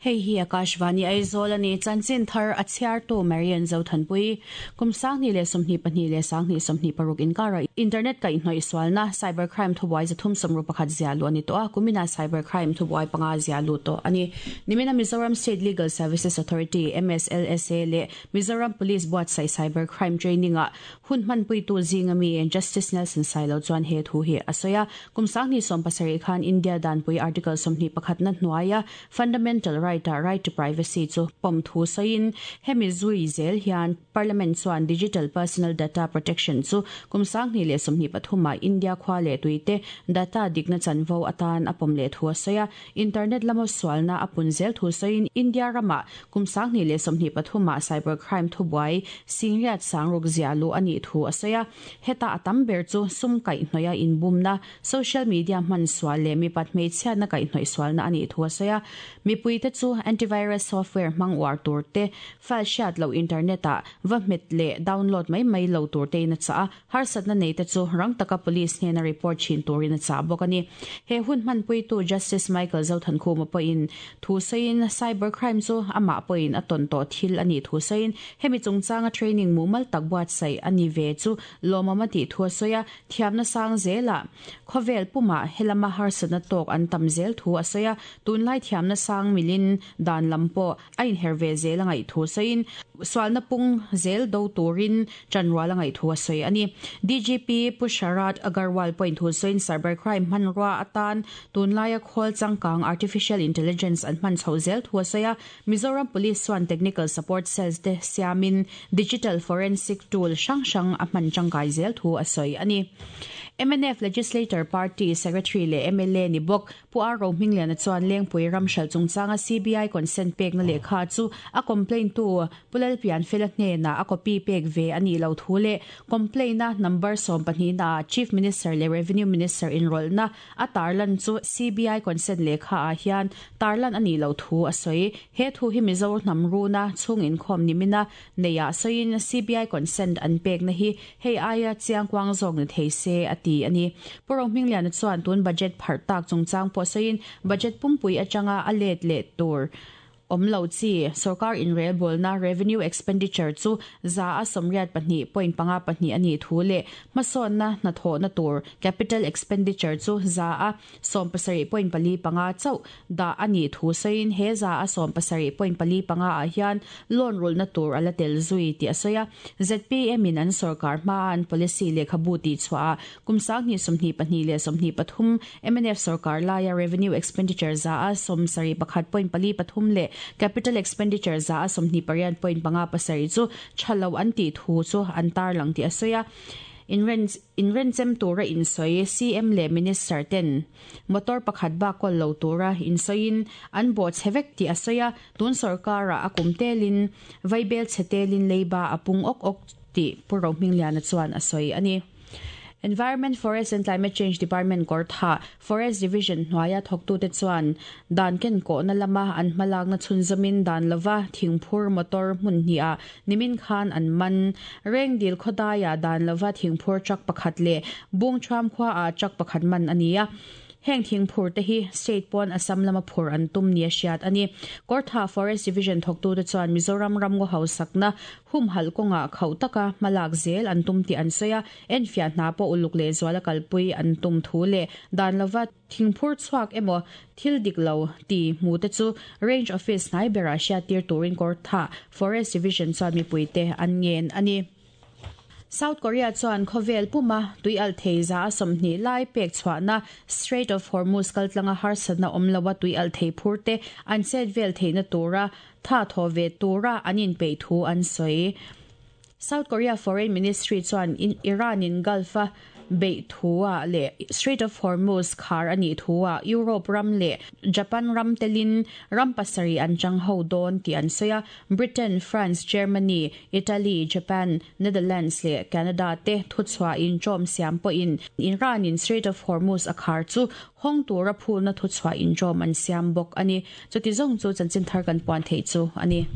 Hei hi Akashvani Aizawl a ni. Chanchin thar a chhiartu Marian Zothanpui. Kum 2022 leh 2026 inkara internet kaihhnawih sualna, cyber crime, thubuai 361 ziah luh a ni tawh a, kuminah cyber crime thubuai panga ziah luh tawh a ni. Nimina Mizoram State Legal Services Authority, MSLSA, leh Mizoram Police buatsaih cyber crime training-ah hun hmanpuitu zinga mi Justice Nelson Sailo chuan he thu hi a sawi a. Kum 2017 khan India danpui Article 21 na hnuaia Fundamental right-ah right to privacy chu pawm thu sawiin hemi zui zel hian Parliament chuan Digital Personal Data Protection chu kum 2023 ah India khua leh tuite data dikna chanvo atan a pawm leh thu a sawi a. Internet lama sualna a pun zel thu sawiin India ramah kum 2023 ah cyber crime thubuai singriat sangruk ziah luh a nih thu a sawi a. Heta a tam ber chu sum kaihhnawih a inbumna, Social media hman sual leh mipat hmeichhiatna kaihhnawih sualna a nih thu a sawi a. Mipuite chu antivirus software hmang uar tur te, file hriat loh internet ah va hmet leh download mai mai lo tur tein a chah a, harsatna nei te chu rang taka police hnena report thin turin a chah bawk a ni. He hun hmanpuitu Justice Michael Zothankhuma pawhin thu sawiin cyber crime chu amah pawhin a tawn tawh thil a nih thu sawiin hemi chungchanga training mumal tak buatsaih a ni ve chu lawmawm a tih thu a sawi a. Thiamna sang zelah khawvel pumah helama harsatna tawk an tam zel thu a sawi a, tunlai thiamna sang milin dan lam pawh a inher ve zel a ngaih thu sawiin sualna pung zel do turin chanrual a ngaih thu a sawi a ni. DGP Pu Sharad Agarwal pawhin thu sawiin cyber crime hmanrua atan tunlaia khawl changkang artificial intelligence an hman chhoh zel thu a sawi a, Mizoram Police chuan technical support cells te siamin digital forensic tool hrang hrang a hman tangkai zel thu a sawi a ni. Mnf Legislator Party Secretary leh mla ni bawk Pu R Rohmingliana chuan Lengpui ram hralh chungchanga CBI consent pekna lehkha chu a complaint tu Pu Lalpianfela hnenah a copy pek ve a nih loh thu leh complaint a number 12 naah Chief Minister leh Revenue Minister inrawlhna A tarlan chu CBI consent lehkha ah hian tarlan a nih loh thu a sawi. He thu hi Mizo hnam runa chhung inkhawm nimina neih ah sawiin CBI consent an pekna hi hei aia chiangkuang zawk ni thei se a ti a ni. Pu Rohmingliana chuan tun budget pharh tak chungchang pawh sawiin budget pumpui atanga a let leh tur Awm lo chi, sorkar inrelbawlna, revenue expenditure, chu 82.52% a nih thu leh hmasawnna hnathawhna tur, capital expenditure, chu 70.45% chauh dah a nih thu sawiin he 70.45% ah hian loan rulhna tur a la tel zui tih a sawi a. Zpm in an sorkar hmaa an policy lehkhabu tihchhuahah Kum 2022 leh 23 mnf sorkar laia revenue expenditure 71.43% leh capital expenditure 28.57% chu tha lo an tih thu chu an tarlang tih a sawi a. Inrenchem tura insawi CM leh Minister ten motor pakhat bak kawl lo tura insawiin an bawhchhe vek tih a sawi a. Tun sorkarah a kum telin vaibel chhe telin leiba a pung awk awk tih Pu Rohmingliana chuan a sawi a ni. Environment, Forest and Climate Change Department Kawrthah Forest Division hnuaia thawktute chuan dan kenkawhna lama an hmalakna chhunzawmin dan lova thingphur motor hmun hnihah nimin khan an man. Rengdil khawdaiah dan lova thingphur truck pakhat leh Bungthuam khuaah truck pakhat man a ni a. Heng thingphur te hi state pawn Assam lama phur an tum nia hriat a ni. Kawrthah Forest Division thawktute chuan Mizoram ramngaw hausakna Humhalh kawngah khauh taka hmalak zel an tum tih an sawi a, enfiah hna pawh uluk lehzuala kalpui an tum thu leh dan lova thingphur chhuak emaw thil dik lo ti hmu te chu Range Office hnai berah hriattir turin Kawrthah Forest Division chuan mipuite an ngen a ni. South Korea chuan khawvel puma tuialh thei 20% lai pek chhuahna Strait of Hormuz kaltlanga harsatna awm loa tuialh thei phur te an chet vel theihna tura Tha thaw ve tura an inpeih thu an sawi. South Korea Foreign Ministry chuan Iran-in Gulf-a beih thu-ah leh Strait of Hormuz khar a nih thu-ah Europe ram leh Japan ram telin ram pasarih an chang ho dawn tih an sawi a. Britain, France, Germany, Italy, Japan, Netherlands leh Canada te thuchhuah inṭawm siam pawhin Iran-in Strait of Hormuz a khar chu hawng tura phulna thuchhuah inṭawm an siam bawk a ni. Chuti zawng chu chanchin thar kan puan theih chu a ni.